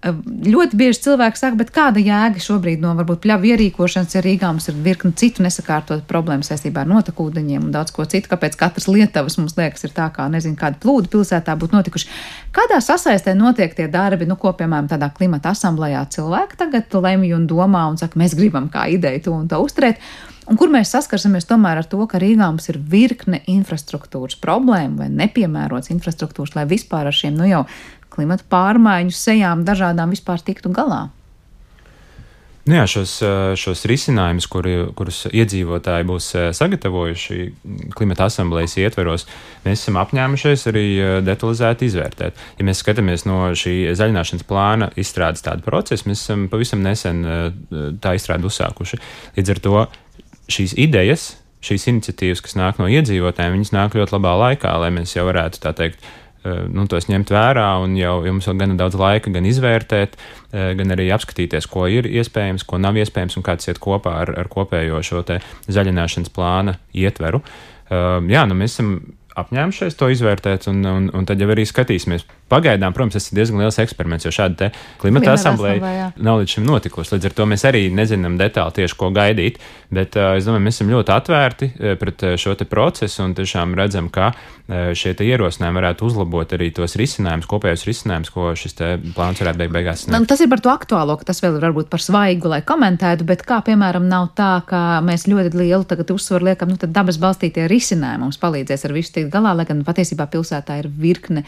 Ļoti bieži cilvēki saka, bet kāda jēga šobrīd no varbūt pļavu ierīkošanas, ja Rīgā mums ir virkni citu nesakārtot problēmu saistībā ar notekūdeņiem un daudz ko citu, kāpēc katras lietavas mums liekas ir tā, kā kāda plūdi pilsētā būtu notikuši. Kādā sasaistē notiek tie darbi, ko, piemēram, tādā klimata asamblējā cilvēki tagad lemj un domā un saka, mēs gribam kā ideju to un to uzturēt, un kur mēs saskarsimies tomēr ar to, ka Rīgā mums ir virkne infrastruktūras problēmu vai nepiemērots infrastruktūras, lai vispār ar šiem, jau klimata pārmaiņu sejām dažādām vispār tiktu galā? Jā, šos risinājumus, kurus iedzīvotāji būs sagatavojuši klimata asamblejas ietveros, mēs esam apņēmušies arī detalizēti izvērtēt. Ja mēs skatāmies no šī zaļināšanas plāna izstrādes tādu procesu, mēs esam pavisam nesen tā izstrādi uzsākuši. Līdz ar to šīs idejas, šīs iniciatīvas, kas nāk no iedzīvotājiem, viņas nāk ļoti labā laikā, lai mēs jau varētu, tā teikt, tos ņemt vērā un jau mums vēl gana daudz laika gan izvērtēt, gan arī apskatīties, ko ir iespējams, ko nav iespējams un kā tas iet kopā ar kopējo šo te zaļināšanas plāna ietveru. Mēs esam apņēmušies to izvērtēt un tad jau arī skatīsimies pagaidām, protams, tas ir diezgan liels eksperiments, jo šāda te klimata asambleja nav līdz šim notikusi. Līdz ar to mēs arī nezinām detāli tieši, ko gaidīt, bet es domāju, mēs esam ļoti atvērti pret šo te procesu un tiešām redzam, ka šie te ierosinājumi varētu uzlabot arī tos risinājumus, kopējos risinājumus, ko šis te plāns varētu beigās sniegt. Tas ir par to aktuālo, ka tas vēl ir varbūt par svaigu, lai komentētu, bet kā, piemēram, nav tā, ka mēs ļoti lielu tagad uzsvaru liekam, tad dabas balstītie risinājumi mums palīdzēs ar visu tikt galā, lai gan patiesībā pilsētā ir virkne,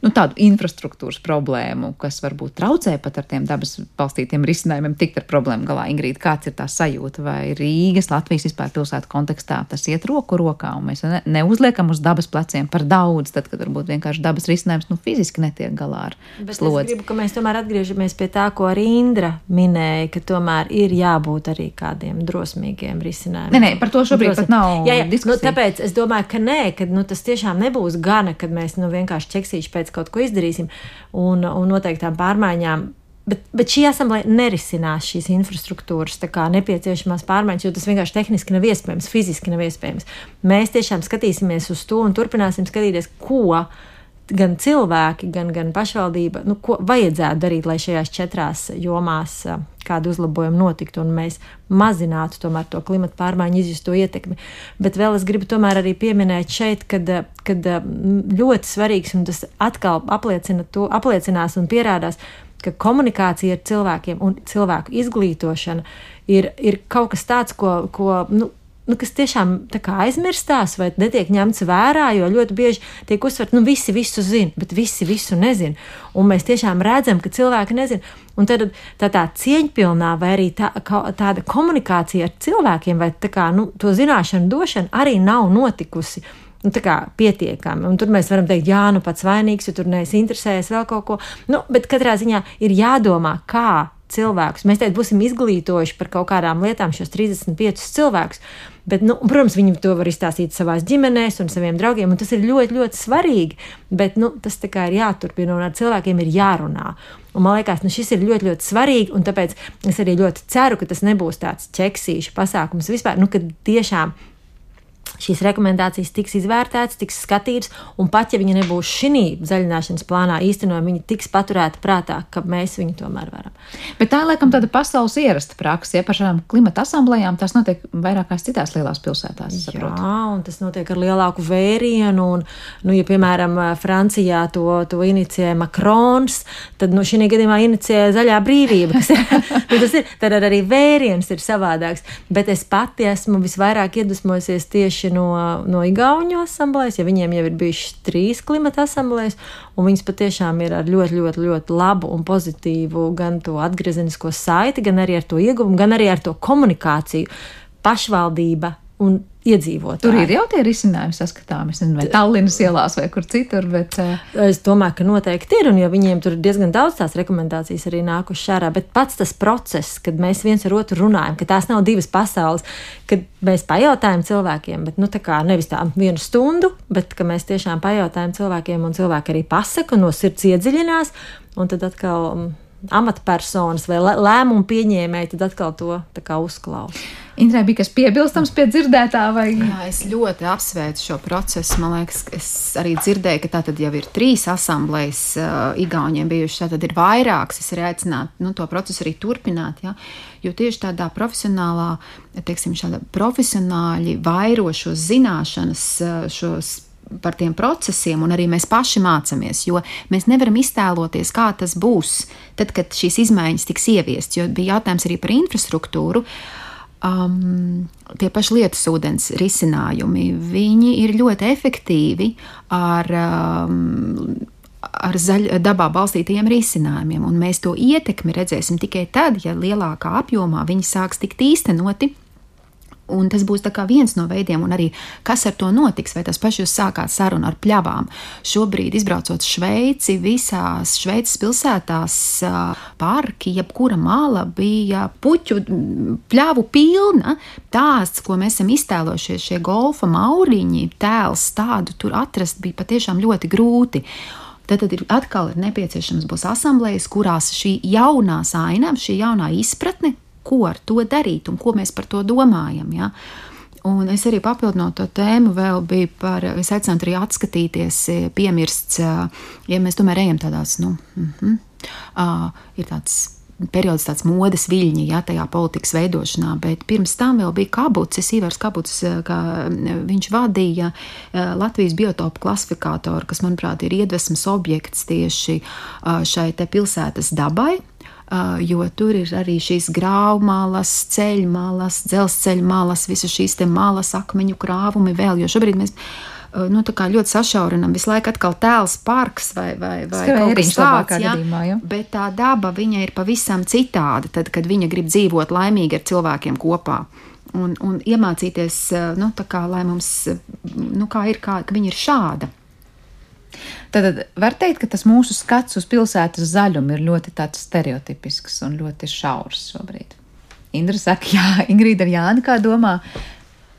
tādu infrastruktūras problēmu, kas varbūt traucē pat ar tiem dabas balstītiem risinājumiem tikt ar problēmu galā. Ingrīda, kāds ir tā sajūta, vai Rīgas, Latvijas vispār pilsētu kontekstā tas iet roku rokā, un mēs neuzliekam uz dabas pleciem par daudz, tad, kad varbūt vienkārši dabas risinājums, fiziski netiek galā ar slodzi. Es gribu, ka mēs tomēr atgriežamies pie tā, ko arī Indra minēja, ka tomēr ir jābūt arī kādiem drosmīgiem risinājumiem. Nē, par to šobrīd pat nav diskusija. Tāpēc es domāju, ka nē, ka tas tiešām nebūs gana, kad mēs vienkārši ķeksīši pēc kaut ko izdarīsim un noteiktām pārmaiņām. Bet šī asambleja nerisinās šīs infrastruktūras nepieciešamās pārmaiņas, jo tas vienkārši tehniski nav iespējams, fiziski nav iespējams. Mēs tiešām skatīsimies uz to un turpināsim skatīties, ko gan cilvēki, gan pašvaldība, ko vajadzētu darīt, lai šajās 4 jomās kādu uzlabojumu notiktu un mēs mazinātu tomēr to klimata pārmaiņu izjusto ietekmi. Bet vēl es gribu tomēr arī pieminēt šeit, kad ļoti svarīgs, un tas atkal apliecinās un pierādās, ka komunikācija ar cilvēkiem un cilvēku izglītošana ir kaut kas tāds, kas tiešām aizmirstās vai netiek ņemts vērā, jo ļoti bieži tiek uzsvert, visi visu zina, bet visi visu nezina. Un mēs tiešām redzam, ka cilvēki nezina. Un tad tā cieņpilnā vai arī tāda komunikācija ar cilvēkiem vai to zināšanu došana arī nav notikusi pietiekami. Un tur mēs varam teikt, pats vainīgs, jo tur neesi interesējies vēl kaut ko. Bet katrā ziņā ir jādomā, kā cilvēkus. Mēs teikt, būsim izglītojuši par kaut kādām lietām šos 35 cilvēkus, bet, protams, viņi to var izstāstīt savās ģimenēs un saviem draugiem, un tas ir ļoti, ļoti svarīgi, bet, tas ir jāturpina un ar cilvēkiem ir jārunā. Un man liekas, šis ir ļoti, ļoti svarīgi, un tāpēc es arī ļoti ceru, ka tas nebūs tāds ķeksīšu pasākums vispār, kad tiešām šīs rekomendācijas tiks izvērtētas, tiks skatītas, un pat, ja viņi nebūs šī zaļināšanas plānā īstenojumi, viņi tiks paturēti prātā, ka mēs viņu tomēr varam. Bet tā, laikam, tāda pasaules ierasta praksa, par šādām klimata asamblējām, tas notiek vairākās citās lielās pilsētās, saprotu. Jā, un tas notiek ar lielāku vērienu, un, ja, piemēram, Francijā to inicijē Macrons, tad, šī gadījumā inicijē Zaļā brīvība, kas ir, tad arī vēriens ir savādāks, bet es pati esmu visvairāk iedvesmojusies tieši no Igauņu asamblējas, ja viņiem jau ir bijušas 3 klimata asamblējas, un viņas patiešām ir ar ļoti, ļoti, ļoti labu un pozitīvu gan to atgriezenisko saiti, gan arī ar to ieguvumu, gan arī ar to komunikāciju, pašvaldība un iedzīvotāji. Tur ir jau tie risinājumi saskatāmi, es nezinu, vai Tallinas ielās vai kur citur, bet... Es domāju, ka noteikti ir, un jo viņiem tur ir diezgan daudz tās rekomendācijas arī nākuši ārā, bet pats tas process, kad mēs viens ar otru runājam, ka tās nav 2 pasaules, kad mēs pajautājam cilvēkiem, bet, nevis tā 1 stundu, bet, ka mēs tiešām pajautājam cilvēkiem, un cilvēki arī pasaka, no sirds iedziļinās, un tad atkal amatpersonas vai lēmumu pieņēmēji, tad atkal to uzklausa. Indrai, bija kas piebilstams pie dzirdētā? Vai? Jā, es ļoti apsveicu šo procesu. Man liekas, es arī dzirdēju, ka tātad jau ir 3 asamblējas Igauņiem bijušas, tātad ir vairākas. Es arī aicinātu to procesu arī turpināt, ja? Jo tieši tādā profesionālā, profesionāļi vairo šos zināšanas, par tiem procesiem, un arī mēs paši mācāmies, jo mēs nevaram iztēloties, kā tas būs, tad, kad šīs izmaiņas tiks ieviestas, jo bija jautājums arī par infrastruktūru. Tie paši lietusūdens risinājumi, viņi ir ļoti efektīvi ar dabā balstītajiem risinājumiem, un mēs to ietekmi redzēsim tikai tad, ja lielākā apjomā viņi sāks tikt īstenoti. Un tas būs tā kā viens no veidiem, un arī kas ar to notiks, vai tas paši jūs sākāt sarunu ar pļavām. Šobrīd, izbraucot Šveici, visās Šveices pilsētās parki, jebkura mala bija puķu pļavu pilna. Tās, ko mēs esam iztēlojušies, šie golfa mauriņi, tēls tādu tur atrast bija patiešām ļoti grūti. Tad atkal ir nepieciešams būs asamblējas, kurās šī jaunā saina, šī jaunā izpratne, ko ar to darīt un ko mēs par to domājam. Ja? Un es arī papildinot to tēmu, vēl bija es aicinātu arī atskatīties, piemirsts, ja mēs tomēr ejam tādās, ir tāds periods, tāds modes viļņi, tajā politikas veidošanā, bet pirms tam vēl bija Kabucis, Ivars Kabucis, kā viņš vadīja Latvijas biotopu klasifikātoru, kas, manuprāt, ir iedvesmas objekts tieši šai te pilsētas dabai, jo tur ir arī šīs grāvmalas, ceļmalas, dzelzceļmalas, visas šīs te malas, akmeņu krāvumi vēl, jo šobrīd mēs tā kā ļoti sašaurinam, visu laiku atkal tēls parks vai kaut kas tāds, bet tā daba, viņa ir pavisam citāda, tad, kad viņa grib dzīvot laimīgi ar cilvēkiem kopā. Un iemācīties, tā kā, lai mums, kā viņa ir šāda. Tad var teikt, ka tas mūsu skats uz pilsētas zaļumu ir ļoti tāds stereotipisks un ļoti šaurs šobrīd. Indra saka, jā, Ingrīda ar Jāni kā domā?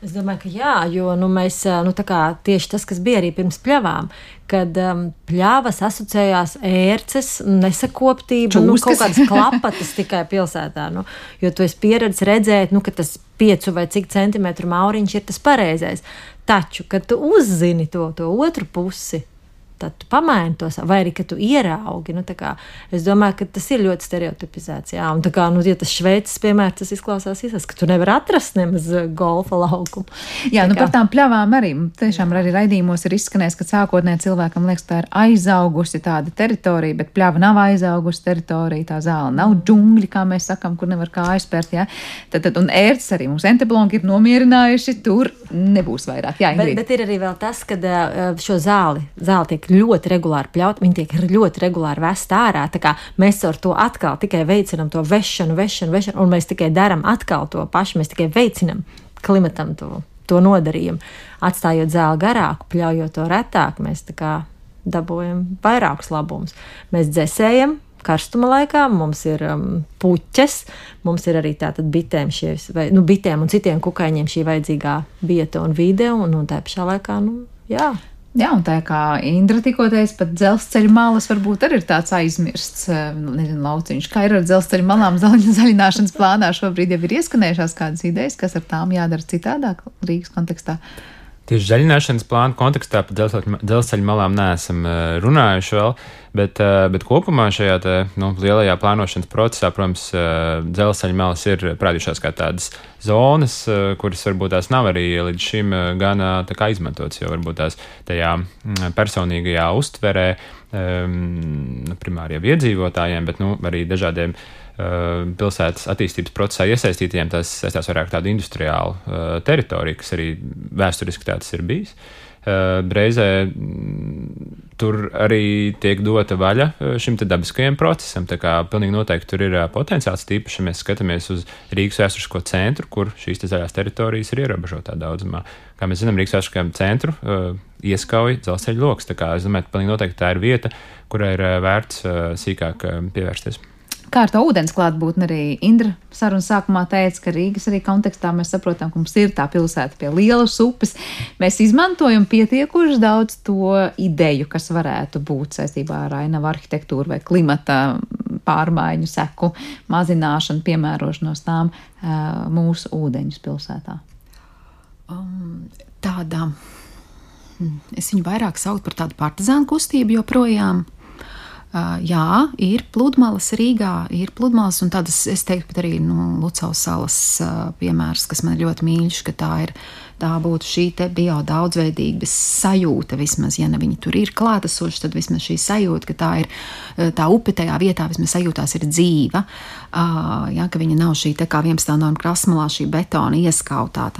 Es domāju, ka jā, jo mēs, tā kā tieši tas, kas bija arī pirms pļavām, kad pļavas asociējās ērces, nesakoptība, kaut kādas klapatas tikai pilsētā, jo tu esi pieredzis redzēt, ka tas 5 vai cik centimetru mauriņš ir tas pareizais. Taču, kad tu uzzini to otru pusi, tad tu pamaini to, vai arī, ka tu ieraugi. Es domāju, ka tas ir ļoti stereotipizēts. Jā, un ja tas Šveices piemērs, tas izklausās, ka tu nevar atrast nemaz golfa laukumu. Jā, par tām pļavām arī. Tiešām arī raidījumos ir izskanējis, ka sākotnēji cilvēkam liekas, tā ir aizaugusi tāda teritorija, bet pļava nav aizaugusi teritorija, tā zāle nav džungļi, kā mēs sakam, kur nevar kāju spērt. Jā. Un ērces arī mums entobologiem ir nomierinājuši, tur nebūs vairāk. Jā, bet ir arī vēl tas, kad šo zāli tiek ļoti regulāri pļaut, viņi tiek ļoti regulāri vest ārā, tā kā mēs ar to atkal tikai veicinam to vešanu, un mēs tikai daram atkal to pašu, mēs tikai veicinam klimatam to nodarījumu. Atstājot zāli garāku, pļaujot to retāk, mēs tā kā dabūjam vairākus labumus. Mēs dzesējam karstuma laikā, mums ir puķes, mums ir arī tātad bitēm bitēm un citiem kukaiņiem šī vajadzīgā vieta un vide, un tā pašā laikā, jā. Jā, un tā kā Indra tikko teica, pat dzelzceļa malas varbūt arī ir tāds aizmirsts, lauciņš. Kā ir ar dzelzceļa malām zaļināšanas plānā? Šobrīd jau ir ieskanējušās kādas idejas, kas ar tām jādara citādāk Rīgas kontekstā? Tieši zaļināšanas plāna kontekstā par dzelzceļa malām neesam runājuši vēl, bet kopumā šajā lielajā plānošanas procesā, protams, dzelzceļa malas ir parādījušās kā tādas zonas, kuras varbūt tās nav arī līdz šim gan tā kā izmantotas, jo varbūt tās tajā personīgajā uztverē primāriem iedzīvotājiem, bet arī dažādiem pilsētas attīstības procesā iesaistītiem, tas saistās vairāk tādu industriālu teritoriju, kas arī vēsturiski tāds ir bijis. Reizē tur arī tiek dota vaļa šim te dabiskajam procesam, tā kā pilnīgi noteikti tur ir potenciāls, tīpaši, ja mēs skatāmies uz Rīgas vēsturisko centru, kur šīs te zaļās teritorijas ir ierobežotā daudzumā. Kā mēs zinām, Rīgas vēsturiskajam centru ieskauj dzelzceļa loks, tā kā es domāju, pilnīgi noteikti tā ir vieta, kurai ir vērts sīkāk pievērsties. Kā ar to ūdens klātbūtni arī Indra sarunas sākumā teica, ka Rīgas arī kontekstā mēs saprotam, ka mums ir tā pilsēta pie lielas upes. Mēs izmantojam pietiekuši daudz to ideju, kas varētu būt saistībā ar ainavu arhitektūru vai klimata pārmaiņu seku mazināšanu, piemērošanos tām mūsu ūdeņus pilsētā. Es viņu vairāk saucu par tādu partizānu kustību joprojām. Jā, ir pludmales Rīgā, ir pludmales, un tādas, es teiktu, pat arī Lucavas salas piemērs, kas man ļoti mīļš, ka tā būtu šī te biodaudzveidības sajūta vismaz, ja ne viņi tur ir klātesoši, tad vismaz šī sajūta, ka tā ir, tā upe tajā vietā vismaz sajūtās ir dzīva, jā, ka viņa nav šī te kā 11. norma krastmalā šī betona ieskautā,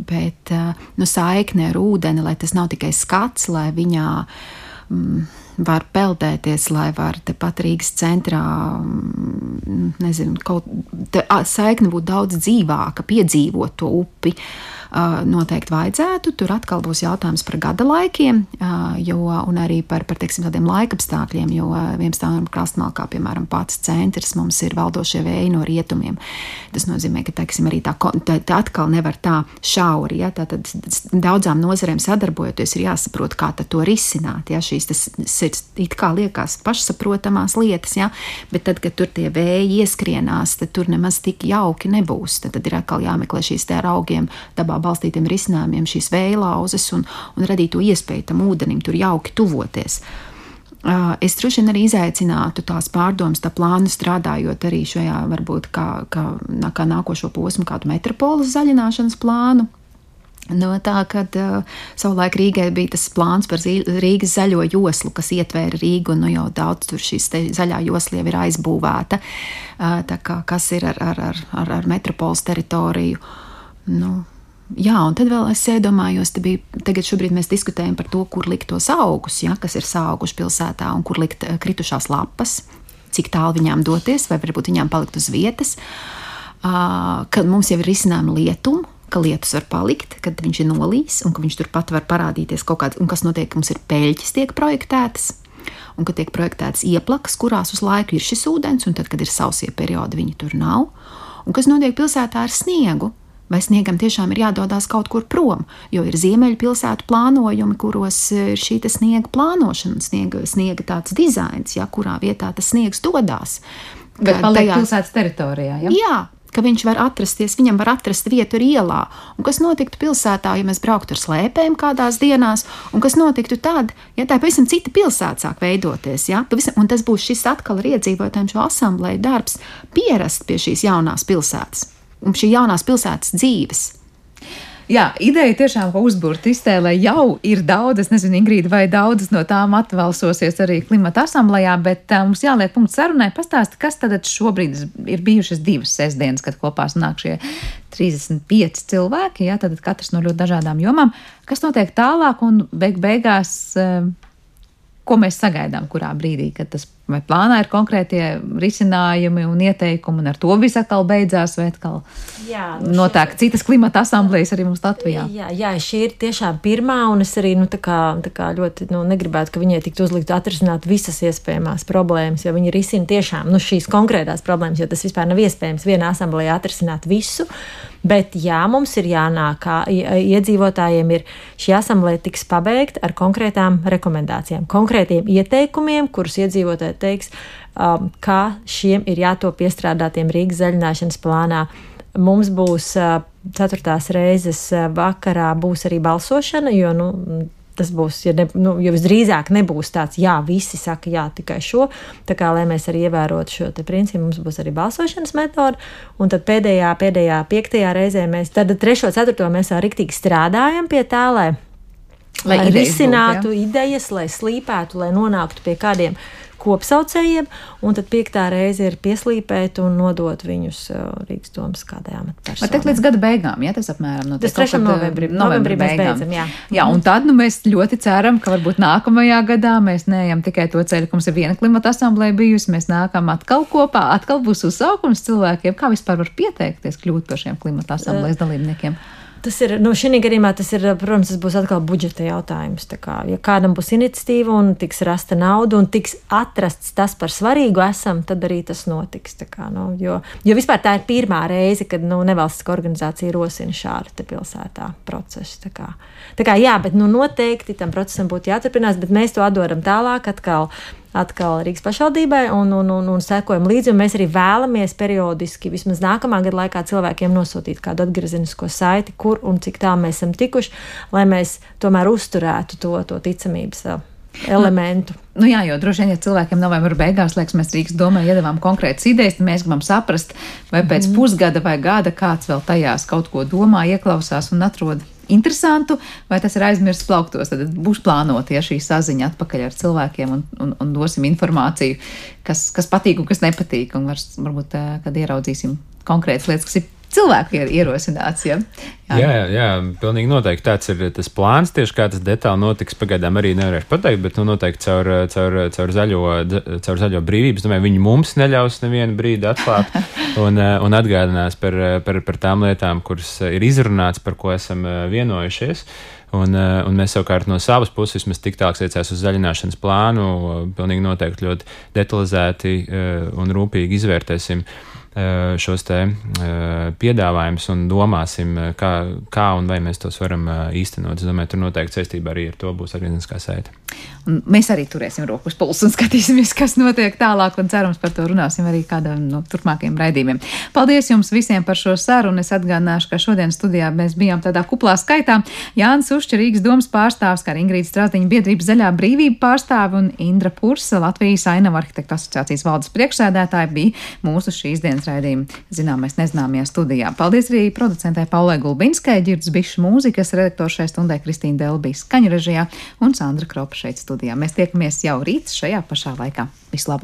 bet, saikne ar ūdeni, lai tas nav tikai skats, lai viņā var peldēties, lai var tepat Rīgas centrā, saikne būtu daudz dzīvāka, piedzīvot to upi. Noteikti vajadzētu. Tur atkal būs jautājums par gada laikiem, un arī par teiksim, tādiem laikapstākļiem, jo 11. norma krastmalā, kā piemēram pats centrs, mums ir valdošie vēji no rietumiem. Tas nozīmē, ka teiksim, arī tā atkal nevar tā šauri. Ja? Tātad daudzām nozarēm sadarbojoties ir jāsaprot, kā to risināt. Ja? Šīs ir it kā liekas pašsaprotamās lietas, ja? Bet tad, kad tur tie vēji ieskrienās, tad tur nemaz tik jauki nebūs. Tad ir atkal jāmeklē šīs te ar augiem dabā balstītiem risinājumiem, šīs vējlauzes un radīt to iespēju tam ūdenim tur jauki tuvoties. Es droši vien arī izaicinātu tās pārdomas, tā plānu strādājot arī šajā varbūt kā nākošo posmu kādu metropoles zaļināšanas plānu. No tā, kad savulaik Rīgai bija tas plāns par Rīgas zaļo joslu, kas ietvēra Rīgu, un jau daudz tur šīs zaļā josla jau ir aizbūvēta, tā kā kas ir ar metropoles teritoriju. Jā, un tad vēl es iedomājos, tagad šobrīd mēs diskutējam par to, kur likt tos augus, ja, kas ir sauguši pilsētā, un kur likt kritušās lapas, cik tālu viņām doties, vai varbūt viņām palikt uz vietas, kad mums jau ir risinājumi lietumu, ka lietus var palikt, kad viņš ir nolīs, un ka viņš turpat var parādīties kaut kāds, un kas notiek, ka mums ir peļķis tiek projektētas, un ka tiek projektētas ieplakas, kurās uz laiku ir šis ūdens, un tad, kad ir sausie periodi, viņi tur nav, un kas notiek pilsētā ar sniegu, vai sniegam tiešām ir jādodās kaut kur prom, jo ir ziemeļu pilsētu plānojumi, kuros ir šī sniega plānošana, sniega tāds dizains, ja, kurā vietā tas sniegs dodās. Bet paliek pilsētas teritorijā, ja? Jā, ka viņš var atrasties, viņam var atrast vietu ar ielā. Un kas notiktu pilsētā, ja mēs brauktu ar slēpēm kādās dienās, un kas notiktu tad, ja tā pavisam cita pilsēta sāk veidoties, ja? Un tas būs šis atkal ar iedzīvotājiem šo asamblēju darbs pierast pie šīs jaunās pilsētas. Un šī jaunās pilsētas dzīves. Jā, ideja tiešām, ka uzbūrt iztēlē jau ir daudz, es nezinu, Ingrīda, vai daudzas no tām atvalsosies arī klimata asamblējā, bet mums jāliek punkts sarunai. Pastāsti, kas tad šobrīd ir bijušas 2 sestdienas, kad kopā sanāk šie 35 cilvēki, jā, tad katrs no ļoti dažādām jomām. Kas notiek tālāk un beigās, ko mēs sagaidām, kurā brīdī, kad tas vai plānā ir konkrētie risinājumi un ieteikumi, un ar to viss atkal beidzās, vai atkal notiek citas klimata asamblējas arī mums Latvijā? Jā, šī ir tiešām pirmā, un es arī tā kā ļoti negribētu, ka viņai tiktu uzlikt atrisināt visas iespējamās problēmas, jo viņi risina tiešām šīs konkrētās problēmas, jo tas vispār nav iespējams vienā asamblējā atrisināt visu. Bet jā, mums ir jānāk, iedzīvotājiem ir šī asamblēja tiks pabeigta ar konkrētām rekomendācijām, konkrētiem ieteikumiem, kurus iedzīvotāji teiks, kā šiem ir jātop iestrādātiem Rīgas zaļināšanas plānā. Mums būs 4. reizes vakarā būs arī balsošana, jo tas būs, jo visdrīzāk nebūs tāds, jā, visi saka jā, tikai šo, tā kā, lai mēs arī ievērotu šo te principu, mums būs arī balsošanas metode, un tad pēdējā 5. reizē mēs, tad 3. 4. mēs vēl riktīgi strādājam pie tā, lai risinātu idejas, lai slīpētu, lai nonāktu pie kādiem kopsaucējiem, un tad 5. reize ir pieslīpēt un nodot viņus Rīgas domas kādai amatpersonai. Vai teikt līdz gada beigām, ja tas apmēram notiek? Tas 3. novembrī mēs beidzam, jā. Jā, un tad mēs ļoti ceram, ka varbūt nākamajā gadā mēs neejam tikai to ceļu, ka mums ir viena klimata asamblēja bijusi, mēs nākam atkal kopā, atkal būs uzsaukums cilvēkiem, kā vispār var pieteikties kļūt par šiem klimata asamblējas dalībniekiem. Tas ir, šī gadījumā tas ir, protams, tas būs atkal budžeta jautājums. Tā kā, ja kādam būs iniciatīva un tiks rasta nauda un tiks atrasts tas par svarīgu esam, tad arī tas notiks. Tā kā, jo vispār tā ir pirmā reize, kad nevalstiska organizācija rosina šādu te pilsētā procesu. Tā kā jā, bet noteikti tam procesam būtu jāturpinās, bet mēs to atdodam tālāk atkal Rīgas pašvaldībai un sekojam līdzi, un mēs arī vēlamies periodiski, vismaz nākamā gada laikā cilvēkiem nosūtīt kādu atgriezenisko saiti, kur un cik tā mēs esam tikuši, lai mēs tomēr uzturētu to ticamības elementu. Jā, jo droši vien, ja cilvēkiem novembra beigās, liekas, mēs Rīgas domē iedavām konkrētas idejas, tad mēs gribam saprast, vai pēc pusgada vai gada kāds vēl tajās kaut ko domā, ieklausās un atrod interesantu, vai tas ir aizmirsts plauktos, tad būs plānota šī saziņa atpakaļ ar cilvēkiem un dosim informāciju, kas patīk un kas nepatīk, un varbūt, kad ieraudzīsim konkrētas lietas, kas ir cilvēku ierosināts, ja? Jā, pilnīgi noteikti tāds ir tas plāns, tieši kā tas detāli notiks, pagaidām arī nevarēšu pateikt, bet noteikti caur zaļo brīvības, domāju, viņi mums neļaus nevienu brīdi atklāt un atgādinās par tām lietām, kuras ir izrunāts, par ko esam vienojušies. Un mēs savukārt no savas puses vismaz tik tālāk iecās uz zaļināšanas plānu, pilnīgi noteikti ļoti detalizēti un rūpīgi izvērtēsim šos te piedāvājumus un domāsim, kā un vai mēs tos varam īstenot. Es domāju, tur noteikti saistībā arī ar to būs organizācijā sēta. Un mēs arī turēsim roku uz pulsu un skatīsimies, kas notiek tālāk, un cerams par to runāsim arī kādā no turpmākajiem raidījumiem. Paldies jums visiem par šo sarunu. Es atgādināšu, ka šodien studijā mēs bijām tādā kuplā skaitā. Jānis Ušķa, Rīgas domas pārstāvs, kā Ingrīda Strasdiņa biedrības Zaļā brīvība pārstāve un Indra Pursa, Latvijas Ainavu arhitektu asociācijas valdes priekšsēdētāja, bija mūsu šīs dienas raidījuma Zināmais nezināmajā studijā. Paldies arī producentē Paulai Gulbinskai, Ģirds Bišs mūzikas redaktors šai stundai Kristīna Delbija skaņu režijā un Sandra Kropa šeit studijā. Mēs tiekamies jau rīt šajā pašā laikā. Visu labu!